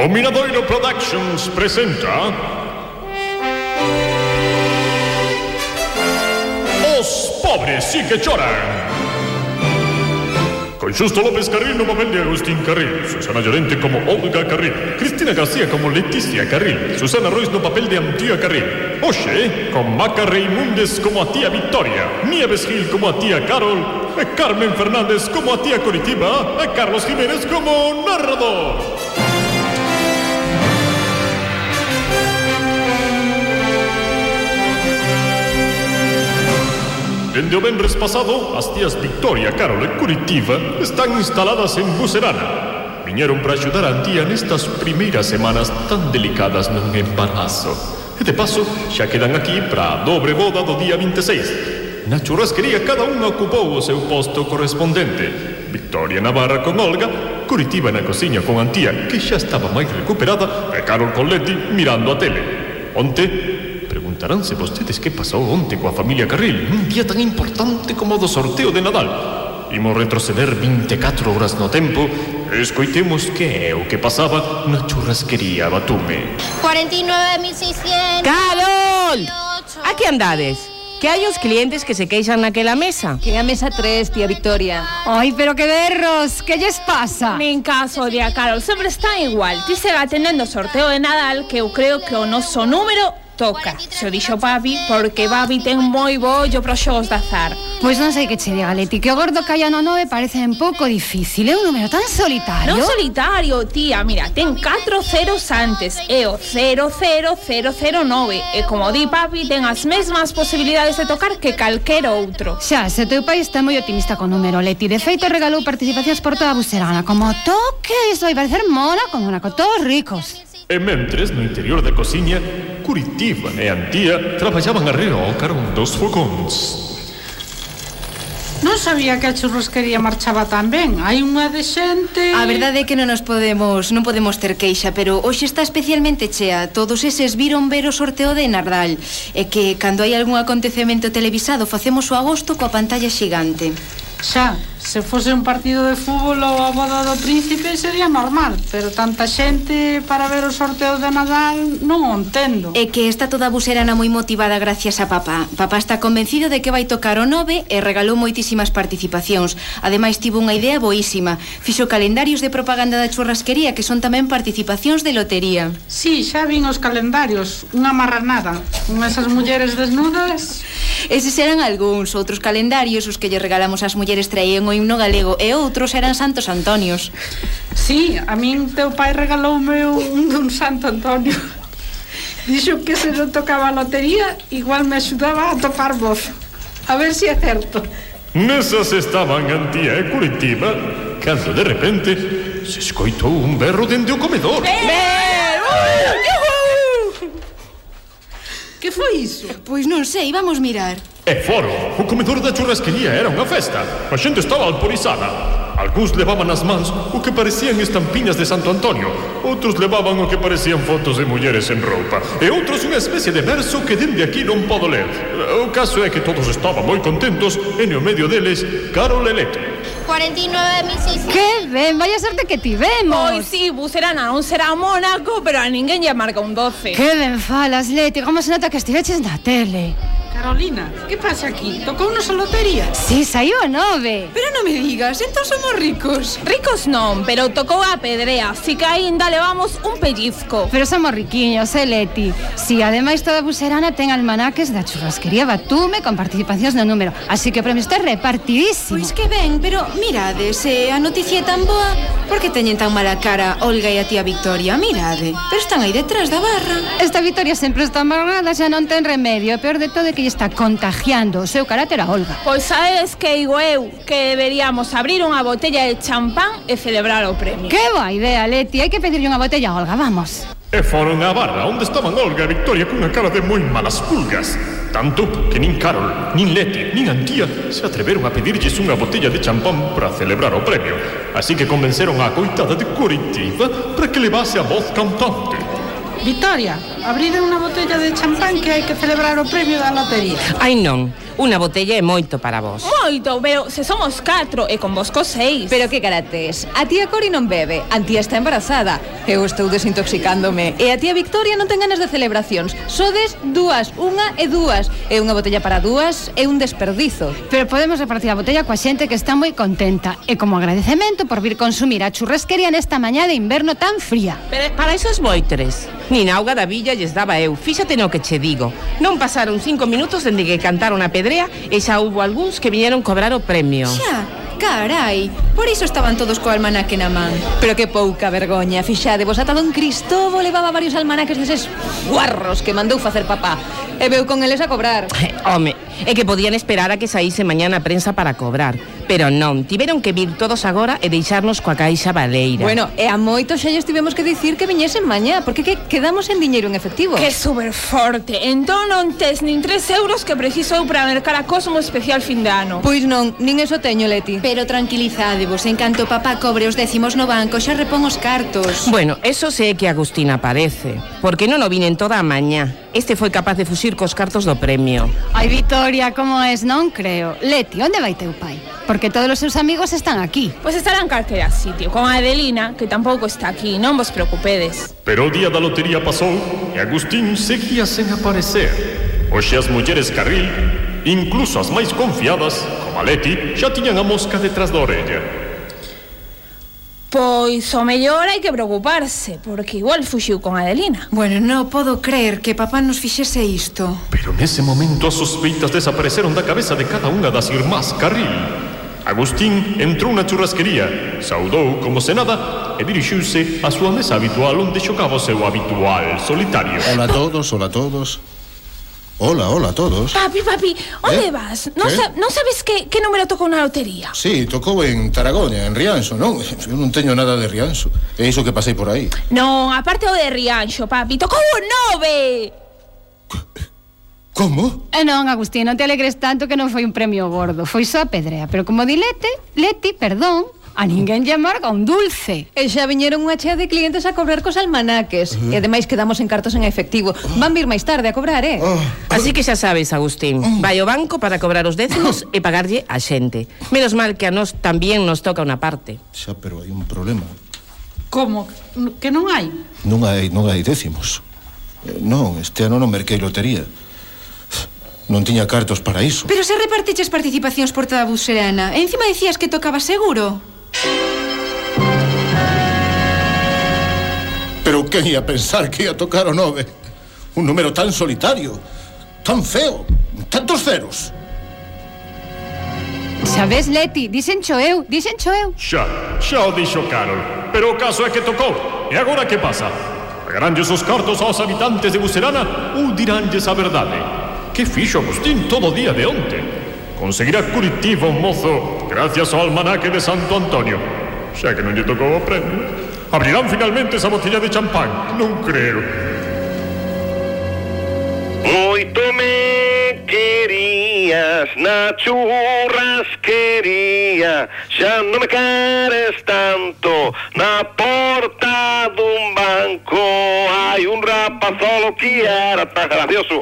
O Miradoiro Productions presenta Os pobres sí que choran, con Xusto López Carril no papel de Agustín Carril, Susana Llorente como Olga Carril, Cristina García como Leticia Carril, Susana Rois no papel de Antía Carril. Oxe, con Maca Reimundes como a tía Victoria, Nieves Gil como a tía Carol, Carmen Fernández como a tía Coritiba, Carlos Jiménez como narrador. Dende o venres pasado, as tías Victoria, Carol e Curitiba están instaladas en Bucerana. Viñeron para axudar a Antía nestas primeiras semanas tan delicadas nun embarazo. E de paso, xa quedan aquí para a dobre boda do día 26. Na churrasquería cada unha ocupou o seu posto correspondente. Victoria na barra con Olga, Curitiba na cociña con Antía, que xa estaba máis recuperada, e Carol con Leti mirando a tele. Onte, preguntaránse vostedes que pasou onte coa familia Carril nun día tan importante como o do sorteo de Nadal. Imos retroceder 24 horas no tempo e escoitemos que é o que pasaba na churrasquería Batume. 49.600. ¡Carol! A que andades? Que hai os clientes que se queixan naquela mesa. Que a mesa 3, tía Victoria. Ai, pero que berros, que lles pasa? Nin caso, tía Carol, sempre está igual. Ti sega atendendo o sorteo de Nadal, que eu creo que o noso número toca. Se o dixo papi, porque papi ten moi bo ollo para os xogos de azar. Pois non sei que che diga, Leti, que o gordo que hai no 9 parece un pouco difícil. É un número tan solitario. Non solitario, tía, mira, ten 4 ceros antes. É o 00009. E como di papi, ten as mesmas posibilidades de tocar que calquera outro. Xa, se teu pai está moi optimista con o número, Leti. De feito, regalou participacións por toda a Bucerana. Como toque, isto vai parecer mola como na con todos ricos. E mentres, no interior da cociña, Curitiba e Antía traballaban arreo ao carón dos fogóns. Non sabía que a churrasquería marchaba tan ben. Hai unha de xente... A verdade é que non podemos ter queixa, pero hoxe está especialmente chea. Todos eses viron ver o sorteo de Nadal. E que cando hai algún acontecemento televisado facemos o agosto coa pantalla xigante. Xa, se fose un partido de fútbol ou a boda do príncipe sería normal, pero tanta xente para ver o sorteo de Nadal non o entendo. É que está toda a Bucerana moi motivada gracias a papá. Papá está convencido de que vai tocar o 9 e regalou moitísimas participacións. Ademais tivo unha idea boísima. Fixo calendarios de propaganda da churrasquería que son tamén participacións de lotería. Sí, xa vin os calendarios, unha marranada, con esas mulleres desnudas. Eses eran algúns, outros calendarios os que lle regalamos ás mulleres traían o himno galego e outros eran Santos Antonios. Sí, a min teu pai regaloume un dun Santo Antonio. Dixo que se non tocaba a lotería, igual me axudaba a topar voz. A ver se é certo. Nesas estaban Antía e Curitiba, cando de repente se escoitou un berro dende o comedor. Que foi iso? Pois non sei, vamos mirar. E foro, o comedor da churrasquería era unha festa. A xente estaba alporizada. Algúns levaban nas mans o que parecían estampiñas de Santo Antonio. Outros levaban o que parecían fotos de mulleres en roupa. E outros unha especie de verso que dende aquí non podo ler. O caso é que todos estaban moi contentos e no medio deles, Carol e Leti. 49.600. Que ben, vaya sorte que tivemos. Pois sí, Bucerana non será Mónaco, pero a ninguén lle marca un 12. Que ben falas, Leti, como se nota que estiveches na tele. Carolina, que pasa aquí? Tocounos a lotería? Sí, saiu o 9. Pero non me digas, entón somos ricos. Ricos non, pero tocou a pedrea, así que aínda levamos un pellizco. Pero somos riquiños, Leti. Si, ademais toda Bucerana ten almanaques da churrasquería Batume con participacións no número, así que o premio está repartidísimo. Pois que ben, pero mirade, se a noticia é tan boa, por que teñen tan mala cara Olga e a tía Victoria? Mirade, pero están aí detrás da barra. Esta Victoria sempre está amargada, xa non ten remedio. O peor de todo é que lle está contagiando o seu carácter a Olga. Pois sabes que digo eu que deberíamos abrir unha botella de champán e celebrar o premio. Que boa idea, Leti, hai que pedirlle unha botella a Olga, vamos. E foron á barra onde estaban Olga e Victoria cunha cara de moi malas pulgas. Tanto que nin Carol, nin Leti, nin Antía se atreveron a pedirlles unha botella de champán para celebrar o premio. Así que convenceron á coitada de Curitiba para que levase a voz cantante. Victoria, abride unha botella de champán que hai que celebrar o premio da lotería. Ai non, Unha botella é moito para vos. Moito, pero se somos 4 e con vosco 6. Pero que carates, a tía Cori non bebe, a tía está embarazada. Eu estou desintoxicándome. E a tía Victoria non ten ganas de celebracións. Sodes dúas, unha e dúas. E unha botella para dúas é un desperdizo. Pero podemos repartir a botella coa xente que está moi contenta. E como agradecemento por vir consumir a churrasquería nesta mañá de inverno tan fría. Pero para esos boitres, nin auga da villa lles daba eu. Fíxate no que che digo. Non pasaron 5 minutos dende que cantaron a pedrea e xa hubo algúns que viñeron cobrar o premio. Xa, carai, por iso estaban todos co almanaque na man. Pero que pouca vergoña, fixade, vos ata don Cristovo levaba varios almanaques deses guarros que mandou facer papá. E veu con eles a cobrar. Home, é que podían esperar a que saíse mañá na prensa para cobrar. Pero non, tiveron que vir todos agora e deixarnos coa caixa baleira. Bueno, e a moitos xa lles tivemos que dicir que viñesen mañá, porque que quedamos en diñeiro en efectivo. Que super forte. Entón non tes nin 3 euros que preciso eu para mercar a Cosmo especial fin de ano. Pois non, nin eso teño, Leti. Pero tranquilizádevos, en canto papá cobre os décimos no banco, xa repón os cartos. Bueno, eso sé que Agustina parece, porque non o vinen toda a mañá. Este foi capaz de fuxir cos cartos do premio. Ai, Victoria, como es? Non creo. Leti, onde vai teu pai? Porque todos os seus amigos están aquí. Pois estarán en calquera sitio, con a Adelina, que tampouco está aquí, non vos preocupedes. Pero o día da lotería pasou e Agustín seguía sen aparecer. Hoxe as mulleres Carril, incluso as máis confiadas, como a Leti, xa tiñan a mosca detrás da orella. Pois o mellor hai que preocuparse, porque igual fuxiu con a Adelina. Bueno, non podo creer que papá nos fixese isto. Pero nese momento as sospeitas desapareceron da cabeza de cada unha das irmás Carril. Agustín entrou na churrasquería, saudou como se nada e dirixiuse á súa mesa habitual onde xogaba o seu habitual solitario. Hola a todos, hola a todos. Hola, hola a todos. Papi, onde vas? Non sabes que número tocou na lotería? Sí, tocou en Taragoña, en Rianxo, non? Eu non teño nada de Rianxo. É iso que pasei por aí. Non, aparte o de Rianxo, papi, tocou un 9. Como? Non, Agustín, non te alegres tanto que non foi un premio gordo. Foi só a pedrea, pero como di Leti, perdón, a ninguén lle amarga un dulce. E xa viñeron unha chea de clientes a cobrar cos almanaques. E ademais quedamos en cartos en efectivo. Van vir máis tarde a cobrar, Así que xa sabes, Agustín, vai ao banco para cobrar os décimos e pagarlle a xente. Menos mal que a nós tamén nos toca unha parte. Xa, pero hai un problema. Como? Que non hai? Non hai décimos. Non, este ano non merquei lotería. Non tiña cartos para iso. Pero se repartiches participacións por toda a Buserana, e encima dicías que tocaba seguro. Pero quen ia pensar que ia tocar o 9? Un número tan solitario, tan feo, tantos ceros. Sabes, Leti, díxencho eu. Xa o dixo Carol, pero o caso é que tocou. E agora que pasa? Pagaránlles os cartos aos habitantes de Buserana ou diránlles a verdade? Que fixo Agustín todo o día de onte? Conseguirá curitivo, mozo, gracias ao almanaque de Santo Antonio. Xa que non lle tocou o premio. Abrirán finalmente esa botella de champán. Non creo. Moito me querías na churrasquería, xa non me queres tanto. Na porta dun banco hai un rapazolo que era tan gracioso.